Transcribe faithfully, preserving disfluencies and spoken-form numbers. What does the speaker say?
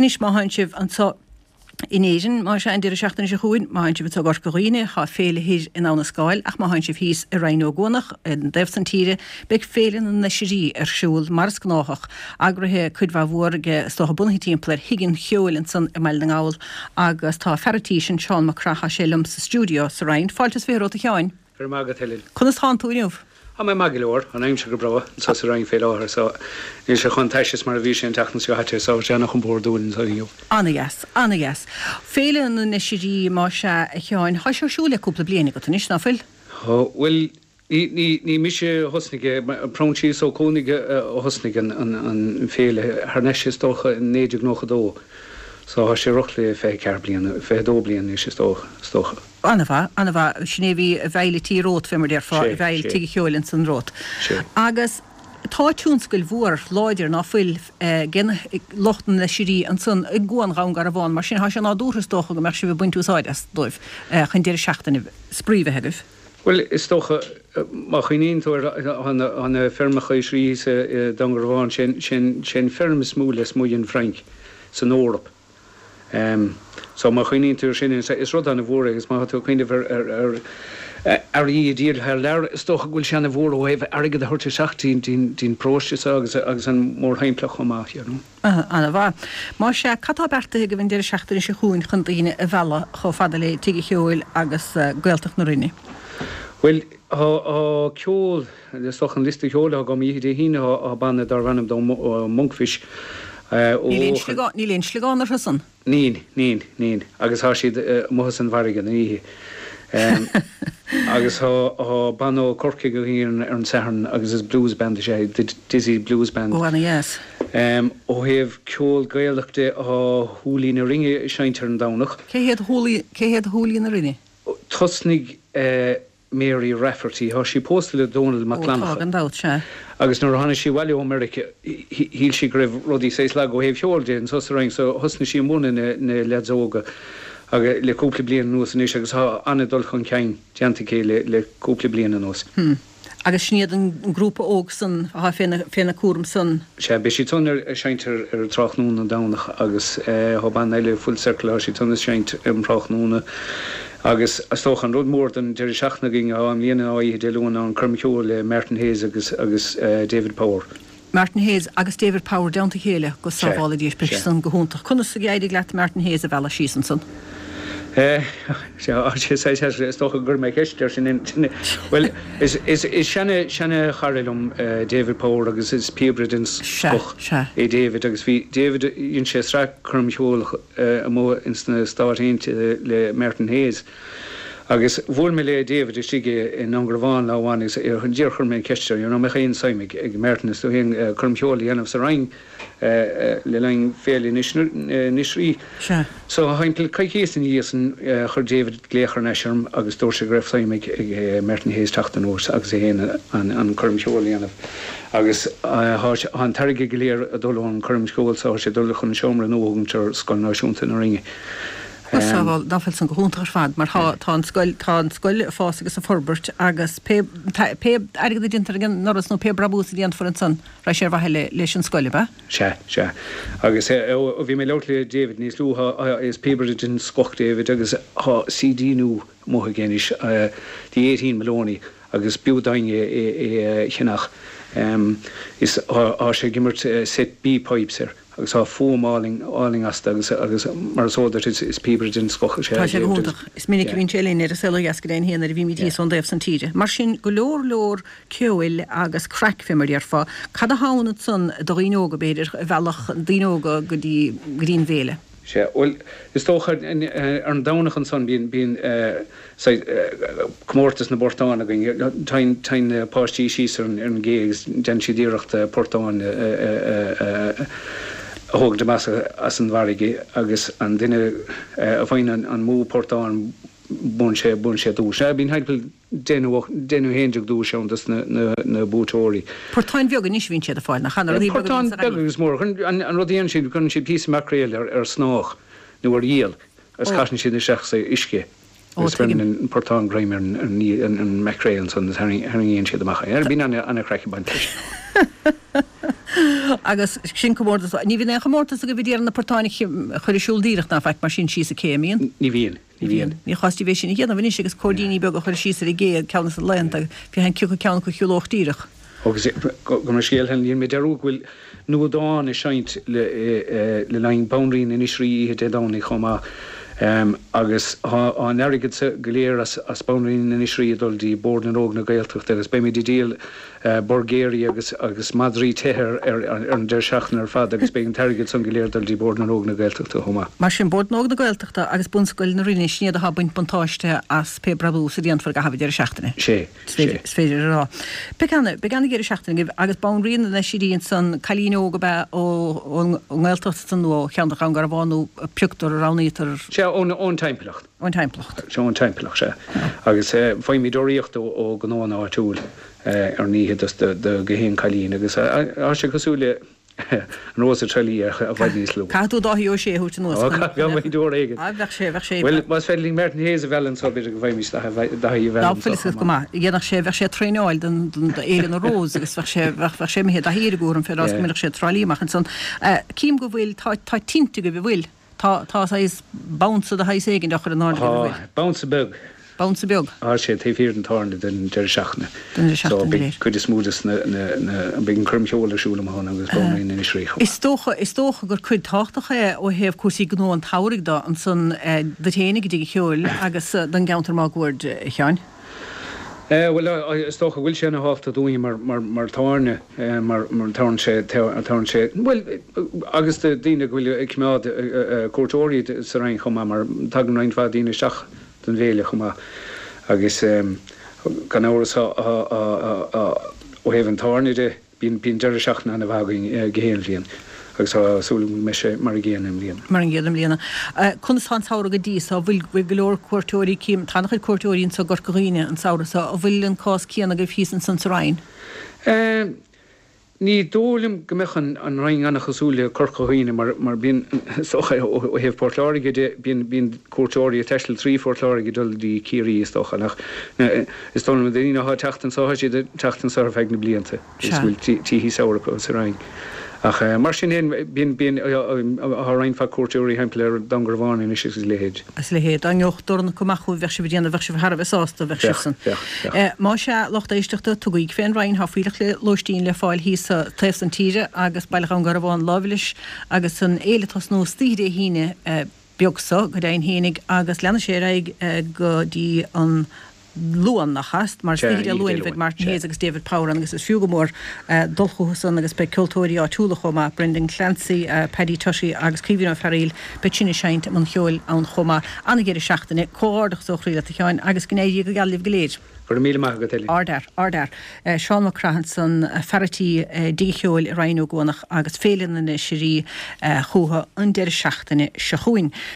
Anois má tánn sibh anseo in Éirinn má sea an deireadh seachtaine seo chugainn má tánn sibh i gCorca Dhuibhne tá féile thoir in Abha na Scáil ach má tánn sibh thíos i Rinn Ó gCuanach an dtaobh san tíre beidh féile na nOisrí ar siúl mar is gnáthach eagraithe cuid mhaith mhór aige is dócha bunaithe timpeall ar Thigh an Cheoil ansan i mBaile na nGall agus tá fear an tí sin Seán Mac Craith sé liom sa stiúideo sa Rinn fáilte is fiche romhat a Sheáin. Go raibh maith agat Helen. Conas tánn tú inniu? Tá mé maith go leor an aimsir go breá anseo sa Rinn fé láthair so níl sé chomh tais is mar a bhí sé an tseachtain seo caite so sé an-chompordúil anseo inniu. Ana-dheas, ana-dheas. Féile na nOisrí má sea a Sheáin, tá sé ar siúl le cúpla bliain agat anois ná fuil? Bhuel ní ní mise a thosnaigh Proinsias Ó Cuanaigh a thosnaigh an an féile thar n-ais is dócha in naoi déag nócha dó. So tá sé roughly fiche ceathair bliana, fiche dó bliain anois is dócha. An-mhaith, an-mhaith, sin é bhí i bhfeighil an tí romhat fé mar déarfá, i bhfeighil Tigh an Cheoil ansan romhat. Agus tá tionscal mhór láidir ná fuil ag lucht na nOisrí ansan i gCuan Dhún Garbhán, mar sin tá sé nádúrtha is dócha go mbeadh sibh ag baint úsáid as dóibh chun deireadh seachtaine spraoi bheith agaibh. Bhuel, is dócha, má chuimhníonn tú ar na feirmeacha oisrí thíos i Dún Garbhán, sé an feirm is mó lasmuigh den Fhrainc san Eoraip. So má chuimhníonn tú ar sin, is rud an-mhór é agus má tá tú ag cuimhneamh ar ar earraí a dhíol thar lear, is dócha go bhfuil sé an-mhór ó thaobh airgead a thabhairt isteach dtí'n paróiste seo agus agus an mórthimpeallacht chomh maith, you know. An-mhaith. Má sea, cad tá beartaithe agaibh an deireadh seachtaine seo chugainn chun daoine a mhealladh chomh fada le Tigh an Cheoil agus Gaeltacht na Rinne? Bhuel, tá ceol, is dócha an liosta ceoil atá agam oíche Dé hAoine, tá banna darb ainm dó Monkfish ó Níl aon sliogán, níl aon sliogán orthu san? Níl, níl, níl. Agus tá siad amuigh san bhfarraige an oíche. Agus tá banna ó Corcaigh againn ar an Satharn agus is blues band is ea é, The Dizzy Blues Band. Ó, ana-dheas. Ó thaobh ceol Gaelach de, tá Húlaí na Rinne ag seinnt ar an Domhnach. Cé hiad Húlaí, cé hiad Húlaí na Rinne? Thosnaigh Mary Rafferty, tá sí pósta le Dónal Mac Ó, tá, Fhlannchadha. gan dabht, sea. Agus nuair a tháinig sí abhaile ó Meiriceá, shíl sí go raibh rudaí saghas lag ó thaobh cheoil de anso sa Rinn so thosnaigh sí ag múineadh na na leaids óga agus le cúpla bliain anuas anois agus tá an-dul chun cinn déanta aici le le cúpla bliain anuas. Hm. Agus sin iad an grúpa óg san atá féna féna cúram san. Sea, beidh siad san ag seinnt ar ar tráthnóna an Domhnach agus tá banna eile, Full Circle, tá siad san ag seinnt um thráthnóna agus is dócha an rud mór don deireadh seachtaine againn atá i mbliana ná oíche Dé Luain ná an coirm cheoil le Martin Hayes agus agus David Power. Martin Hayes agus David Power i dteannta a chéile, go Sea, sábhála Dia, beidh sea. san go hiontach. Conas a d'éirigh leat Martin Hayes a mhealladh síos ansan? Is dócha go gcuirfidh mé ceist air sin. Bhuel, is seana seana-chara liom David Power agus is píobaire den scoth é David agus bhí David, dhein sé sraith coirm cheoil amuigh ins na Stáit Aontaithe le Martin Hayes agus bhuail mé le David istigh i nDún Garbhán lá amháin agus díreach chuir mé an cheist air, you know, an mbeadh aon suim ag Martin is tú féin coirm cheoil a dhéanamh sa Rinn le linn Féile na nOisrí. Sea. So thimpeall coicíos ina dhiaidh san chuir David glaoch thar n-ais orm agus dúirt sé go raibh suim ag Martin Hayes teacht anuas agus é féin an coirm cheoil a dhéanamh. Agus tá an t-airgead go léir ag dul ón choirm cheoil so tá sé ag dul chun seomra nua a thógaint ar Scoil Náisiúnta na Rinne. Go sábháil, ná fuil san go hiontach ar fad mar tá tá an scoil tá an scoil ag fás agus ag forbairt agus pé pé airgead a déantar ag an ndoras nó pé brabús a déanfar ansan raghaidh sé ar mhaithe le leis an scoil, ab ea? Sea, sea. Agus ó bhí mé ag labhairt le David níos luaithe, is píobaire den scoth David agus tá CD nua amuigh aige anois, The Eighteen Maloney, agus b'fhiú d'éinne é a cheannach. Is tá sé ag imirt set B pipes air. Agus tá fuaim álainn, álainn astu agus, agus mar is eol duit is, is píobaire den scoth is ea Tá sé go David hiontach. Is minic a bhíonn sé linn ar an Saol Ó Dheas go deimhin féin nuair a bhímid Yeah. thíos ón dtaobh san tíre. Mar sin, go leor leor ceoil agus craic fé mar a déarfá. Cad atá ann ansan do dhaoine óga, b'fhéidir, a mheallfadh daoine óga go dtí, go dtí an bhféile? Sea, bhuel, is dócha, ar an Domhnach ansan bíonn, bíonn saghas comórtas na bportán againn. Téann, téann na páistí síos ar an, ar an gcé agus déanann siad iarracht portán a thógaint amach as an bhfarraige agus an duine a fhaigheann an, an mó portán buann sé, buann sé duais. Bíonn thimpeall deich nó deich nó haon déag duais ann dos na, na, na buaiteoirí. Portáin bheaga anois a bhíonn siad ag fáil, nach ea? Na rudaí beaga a Portáin bhíonn sa beaga Ghaillimh. agus móra. Cuireann, an rud a dhéanann siad, cuireann siad píosa maicréil ar, ar snáth nó ar iall agus Ó. caitheann siad isteach sa uisce Ó, agus beireann tuigim. an portán greim ar an, ar an, an, an maicréal ansan agus tharraingíonn siad amach é. Bíonn ana, ana-chraic ag baint leis. Agus sin comórtas, ní bhíonn aon chomórtas agaibh ag iarraidh na portáin a chur ar siúl díreach ná faic mar sin síos an cé, an mbíonn? Ní bhíonn, ní bhíonn. Ní chostas bheith sin a dhéanamh anois agus cóirdíní beaga a chur síos ar an gcé ceann de na laethanta, féachaint cé acu ceann acu a shiúlódh díreach. Agus gabh mo leithscéal, dhein mé dearúd go bhfuil Nuadán ag seinnt le linn Banríon Inis Rí oíche Dé Domhnaigh chomh maith agus tá an airgead go léir as Banríon Inis Rí ag dul dtí Bord na nÓg na Gaeltachta agus beimid ag díol burgéirí agus agus madraí te ar an deireadh seachtaine ar fad agus beidh an t-airgead san go léir ag dul dtí Bord na nÓg na Gaeltachta chomh maith. Mar sin, Bord na nÓg na Gaeltachta agus Bunscoil na Rinne, sin iad atá ag baint buntáiste as pé brabús a dhéanfar i gcaitheamh an deireadh seachtaine. Sé. Is féidir a rá. Beidh ana, beidh ana dheireadh seachtaine agaibh agus Banríon na nOisrí ansan, cailín óg ab ea ón nGaeltacht ansan nó ó cheantar Dhún Garbhán nó a pioctar, a roghnaítear. Sea, ón, ón timpeallacht. Ón timpeallacht. Sea, ón timpeallacht, sea. Agus faighimid urraíocht ó, ó ghnóanna áitiúil ar an oíche dos, do, do gach aon cailín agus tá sé cosúil le, An Rós of Tralee ach i bhfad níos lú. Caithfidh tú Dáithí Ó Sé a thabhairt anuas chun. Ó, caithfidh uair éigin. Á, bheadh sé, bheadh sé. Bhuel, más féidir linn Martin Hayes a mhealladh anseo, b'fhéidir go bhfaighimís Dáithí a mhealladh anseo chomh maith. Go maith. Dhéanfadh sé, bheadh sé ag traenáil don, don, d'Fhéile na Rós agus bheadh sé, bheadh, bheadh sé imithe Daithí ar an gcúram fé rás go mbeadh sé ag Trá Lí amach ansan. Cím go bhfuil, tá, tá tinte agaibh, an bhfuil? Tá, tá saghas bounce de shaghas éigin á chur in airde agaibh, an bhfuil? Tá, bounce beag. Bounce beag. Tá sé taobh thiar den tábhairne don deireadh seachtaine. Don deireadh So seachtaine beidh léir. cuid is mó des na, na, na, beidh an coirm cheoil ar siúl amuigh ann agus Banríon Inis Rí chomh maith. Is dócha, is dócha gur cuid tábhachtach é ó thaobh cúrsaí gnó an tsamhraidh do, ansan duit fhéinig i dtigh an cheoil agus don gceantar máguaird, a Sheáin. Eh bhuel is dócha go bhfuil sé ana thábhachtach dúinn mar, mar, mar tábhairne mar, mar tabharann sé, tabharann sé, bhuel agus do daoine go bhfuil ag coimeád cuairteoirí sa Rinn chomh maith mar tagann roinnt mhaith daoine isteach don bhféile chomh maith agus gan amhras ó thaobh an tábhairne de, bíonn deireadh seachtaine ana-mhaith againn gach aon bhliain agus tá súil agam go mbeidh sé mar an gcéanna i mbliana. Mar an gcéanna i mbliana. Conas tá an samhradh go dtí so? An bhfuil bhfuil go leor cuairteoirí, cím, tá an-chuid cuairteoirí anso i gCorca Dhuibhne an samhradh so, an bhfuil an cás céanna agaibh thíos ansan sa Rinn? Ní dóigh liom go mbeadh an Rinn an-chosúil le Corca Dhuibhne mar mar bíonn, is dócha, ó thaobh Port Láirge de, bíonn bíonn cuairteoirí ag taisteal trí Phort Láirge ag dul dtí Ciarraí is dócha ach is dóigh liom na daoine atá ag teacht anso tá siad ag teacht anso ar feadh na blianta is bhfuil tithe samhraidh acu sa Rinn. Ach mar sin féin bíonn bíonn tá roinnt mhaith cuairteoirí thimpeall ar Dún Garbhán anois agus a leithéid. Agus a leithéid. Dá ngeobhadh dorn acu amach chugaibh bheadh sibh ag déanamh bheadh sibh thar a bheith sásta bheadh Bheadh, sibhsan. bheadh, bheadh. Más ea, lucht éisteachta, tugaigí fén Rinn, tá fuílleach le lóistín le fáil thíos sa taobh san tíre agus Baile Dhún Garbhán láimh leis agus an fhéile ag tosnú istoíche Dé hAoine beag so, go deimhin fhéinig, agus leanfaidh sé ar aghaidh go dtí an Luan, nach ea? Mar Sea, istoíche Dé oíche Dé Luain a bheidh Luain, Martin sea. Hayes agus David Power ann agus is fiú go mór dul chucu san agus beidh ceoltóirí áitiúla chomh maith, Brendan Clancy, Paddy Tutty agus Caoimhín Ó Fearaíl, beidh sin ag seinnt i mbun cheoil ann chomh maith. Ana-dheireadh seachtaine, comhghairdeachas ó chroí leat a Sheáin agus go n-éirí go geal libh go léir. Go raibh míle maith agat, Eileen. Ardfhear, ardfhear. Seán Mac Craith ansan, fear a' tí i dTigh an Cheoil i Rinn Ó gCuanach agus Féile na nOisrí chucu an deireadh seachtaine seo chugainn.